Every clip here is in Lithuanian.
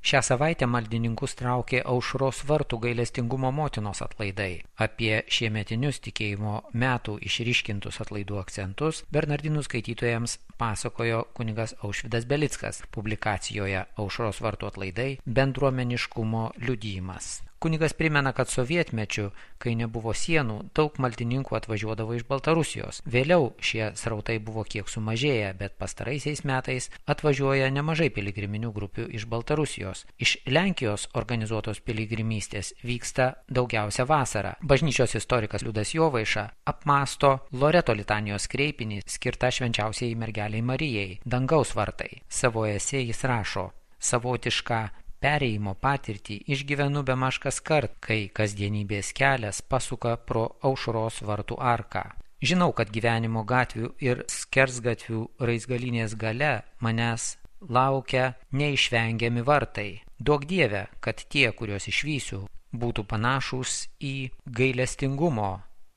Šią savaitę maldininkus traukė Aušros vartų gailestingumo motinos atlaidai. Apie šiemetinius tikėjimo metų išryškintus atlaidų akcentus bernardinų skaitytojams pasakojo kunigas Aušvydas Belickas publikacijoje Aušros vartų atlaidai bendruomeniškumo liudijimas. Kunigas primena, kad sovietmečiu, kai nebuvo sienų, daug maldininkų atvažiuodavo iš Baltarusijos. Vėliau šie srautai buvo kiek sumažėję, bet pastaraisiais metais atvažiuoja nemažai piligriminių grupių iš Baltarusijos. Iš Lenkijos organizuotos piligrimystės vyksta daugiausia vasarą. Bažnyčios istorikas Liudas Jovaiša apmąsto Loreto litanijos kreipinį skirtą švenčiausiai mergelei Marijai, dangaus vartai. Savo esė jis rašo: savotišką perėjimo patirtį išgyvenu bemaž kaskart, kai kasdienybės kelias pasuka pro Aušros vartų arką. Žinau, kad gyvenimo gatvių ir skersgatvių raizgalinės gale manęs laukia neišvengiami vartai. Duok Dieve, kad tie, kuriuos išvysiu, būtų panašūs į gailestingumo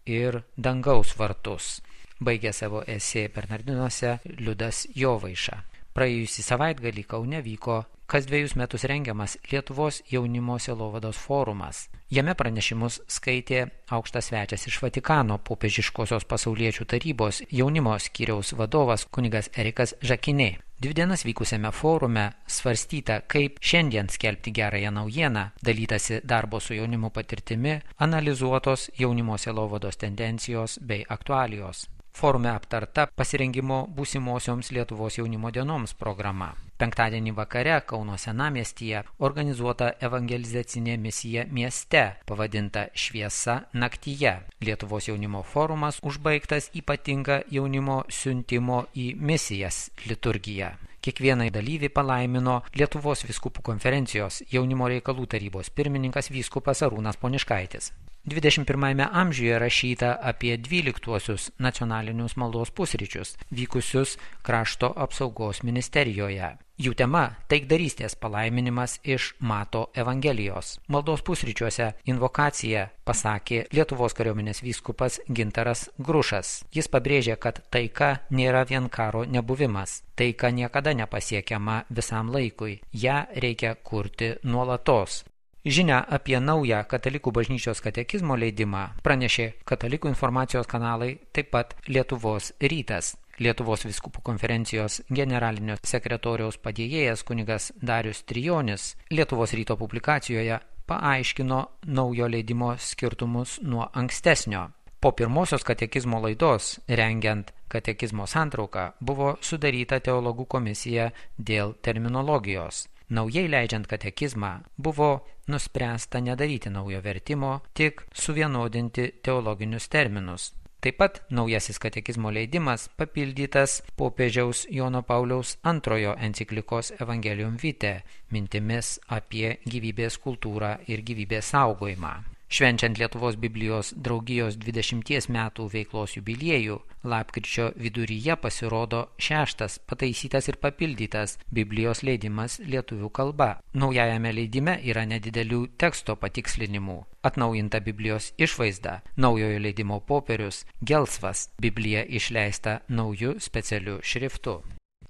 ir dangaus vartus. Baigė savo esė Bernardinuose Liudas Jovaiša. Praėjusį savaitgalį Kaune vyko kas 2 metus rengiamas Lietuvos jaunimo sielovados forumas. Jame pranešimus skaitė aukštas svečias iš Vatikano, popiežiškosios pasauliečių tarybos jaunimo skyriaus vadovas kunigas Erikas Žakinė. 2 dienas vykusiame forume svarstyta, kaip šiandien skelbti gerąją naujieną, dalytasi darbo su jaunimu patirtimi, analizuotos jaunimo sielovados tendencijos bei aktualijos. Forume aptarta pasirengimo būsimosioms Lietuvos jaunimo dienoms programa. Penktadienį vakare Kauno senamiestyje organizuota evangelizacinė misija mieste, pavadinta Šviesa naktyje. Lietuvos jaunimo forumas užbaigtas ypatinga jaunimo siuntimo į misijas liturgija. Kiekvieną dalyvį palaimino Lietuvos vyskupų konferencijos jaunimo reikalų tarybos pirmininkas vyskupas Arūnas Poniškaitis. 21 amžiuje rašyta apie 12 nacionalinius maldos pusryčius, vykusius krašto apsaugos ministerijoje. Jų tema – taikdarystės palaiminimas iš Mato Evangelijos. Maldos pusryčiuose invokaciją pasakė Lietuvos kariuomenės vyskupas Gintaras Grušas. Jis pabrėžė, kad taika nėra vien karo nebuvimas. Taika niekada nepasiekiama visam laikui. Ja reikia kurti nuolatos. Žinia apie naują katalikų bažnyčios katekizmo leidimą pranešė Katalikų informacijos kanalai, taip pat Lietuvos rytas. Lietuvos vyskupų konferencijos generalinio sekretoriaus padėjėjas kunigas Darius Trijonis Lietuvos ryto publikacijoje paaiškino naujo leidimo skirtumus nuo ankstesnio. Po pirmosios katekizmo laidos, rengiant katekizmo santrauką, buvo sudaryta teologų komisija dėl terminologijos. Naujai leidžiant katekizmą buvo nuspręsta nedaryti naujo vertimo, tik suvienodinti teologinius terminus. Taip pat naujasis katekizmo leidimas papildytas popiežiaus Jono Pauliaus II enciklikos Evangelium Vitae mintimis apie gyvybės kultūrą ir gyvybės saugojimą. Švenčiant Lietuvos Biblijos draugijos 20 metų veiklos jubiliejų, lapkričio viduryje pasirodo 6. pataisytas ir papildytas Biblijos leidimas lietuvių kalba. Naujajame leidime yra nedidelių teksto patikslinimų. Atnaujinta Biblijos išvaizda, naujojo leidimo popierius, gelsvas, Biblija išleista nauju specialiu šriftu.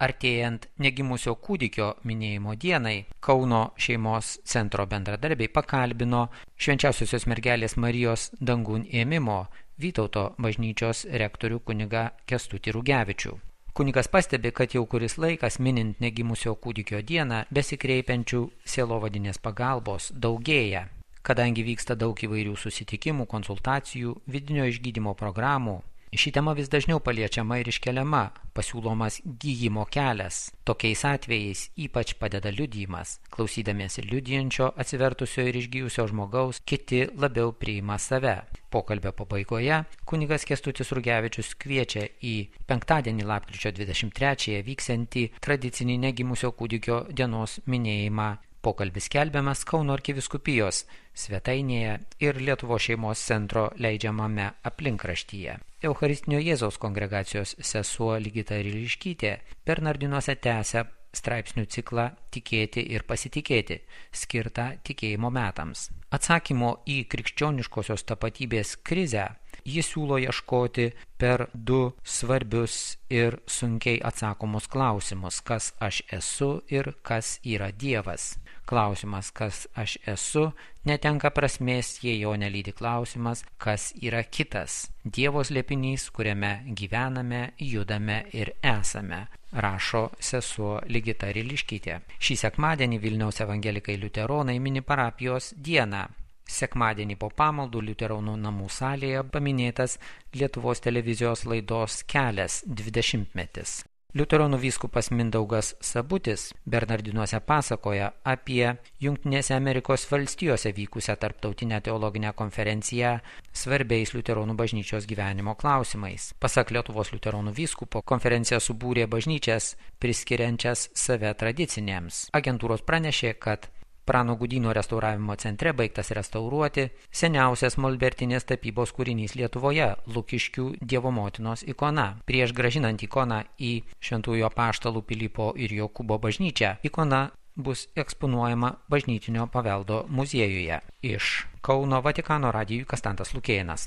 Artėjant negimusio kūdikio minėjimo dienai, Kauno šeimos centro bendradarbiai pakalbino Švenčiausiosios mergelės Marijos dangun ėmimo Vytauto bažnyčios rektorių kunigą Kęstutį Rugevičių. Kunigas pastebi, kad jau kuris laikas minint negimusio kūdikio dieną besikreipiančių sielovadinės pagalbos daugėja. Kadangi vyksta daug įvairių susitikimų, konsultacijų, vidinio išgydymo programų, ši tema vis dažniau paliečiama ir iškeliama, pasiūlomas gydymo kelias. Tokiais atvejais ypač padeda liudijimas. Klausydamiesi liudijančio, atsivertusio ir išgyjusio žmogaus, kiti labiau priima save. Pokalbio pabaigoje kunigas Kęstutis Rugevičius kviečia į penktadienį lapkričio 23 vyksiantį tradicinį negimusio kūdikio dienos minėjimą. Pokalbis skelbiamas Kauno arkivyskupijos svetainėje ir Lietuvos šeimos centro leidžiamame aplinkraštyje. Eucharistinio Jėzaus kongregacijos sesuo Ligita Ryliškytė Bernardinuose tęsia straipsnių ciklą Tikėti ir pasitikėti, skirtą tikėjimo metams. Atsakymo į krikščioniškosios tapatybės krizę jis siūlo ieškoti per 2 svarbius ir sunkiai atsakomus klausimus, kas aš esu ir kas yra Dievas. Klausimas, kas aš esu, netenka prasmės, jei jo nelydi klausimas, kas yra kitas. Dievo slėpinys, kuriame gyvename, judame ir esame, rašo sesuo Ligita Riliškytė. Šį sekmadienį Vilniaus evangelikai liuteronai mini parapijos dieną. Sekmadienį po pamaldų liuteronų namų salėje paminėtas Lietuvos televizijos laidos Kelias 20-metis. Liuteronų vyskupas Mindaugas Sabutis Bernardinuose pasakoja apie Jungtinėse Amerikos valstijose vykusią tarptautinę teologinę konferenciją svarbiais liuteronų bažnyčios gyvenimo klausimais. Pasak Lietuvos liuteronų vyskupo, konferencija subūrė bažnyčias priskiriančias save tradicinėms. Agentūros pranešė, kad Prano Gudyno restauravimo centre baigtas restauruoti seniausias molbertinės tapybos kūrinys Lietuvoje – Lukiškių Dievo motinos ikona. Prieš grąžinant ikoną į Šventųjų apaštalų Pilypo ir Jokūbo bažnyčią, ikona bus eksponuojama bažnytinio paveldo muziejuje. Iš Kauno Vatikano radijui Kastantas Lukėnas.